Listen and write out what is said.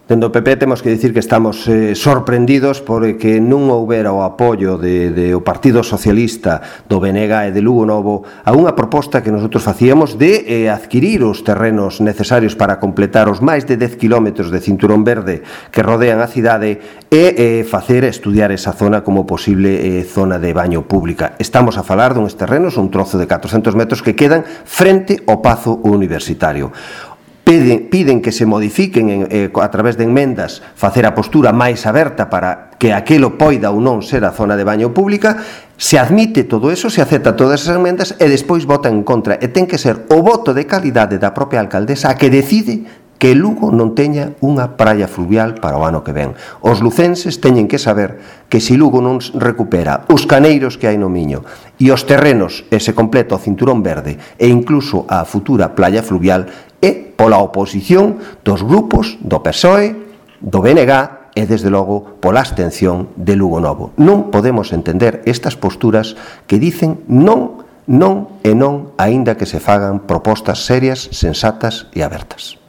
Dentro do PP temos que dicir que estamos sorprendidos porque non houbera o apoio do Partido Socialista, do BNG e de Lugo Novo a unha proposta que nosotros facíamos de adquirir os terrenos necesarios para completar os máis de 10 km de cinturón verde que rodean a cidade e facer estudiar esa zona como posible zona de baño pública. Estamos a falar duns terrenos, un trozo de 400 metros que quedan frente ao Pazo Universitario. Piden que se modifiquen a través de enmendas facer a postura máis aberta para que aquelo poida ou non ser a zona de baño pública. Se admite todo eso, se acepta todas esas enmendas e despois vota en contra, e ten que ser o voto de calidade da propia alcaldesa a que decide que Lugo non teña unha praia fluvial para o ano que ven. Os lucenses teñen que saber que se Lugo non recupera os caneiros que hai no Miño e os terrenos e se completa o cinturón verde e incluso a futura playa fluvial é pola oposición dos grupos do PSOE, do BNG e, desde logo, pola abstención de Lugo Novo. Non podemos entender estas posturas que dicen non, non e non, aínda que se fagan propostas serias, sensatas e abertas.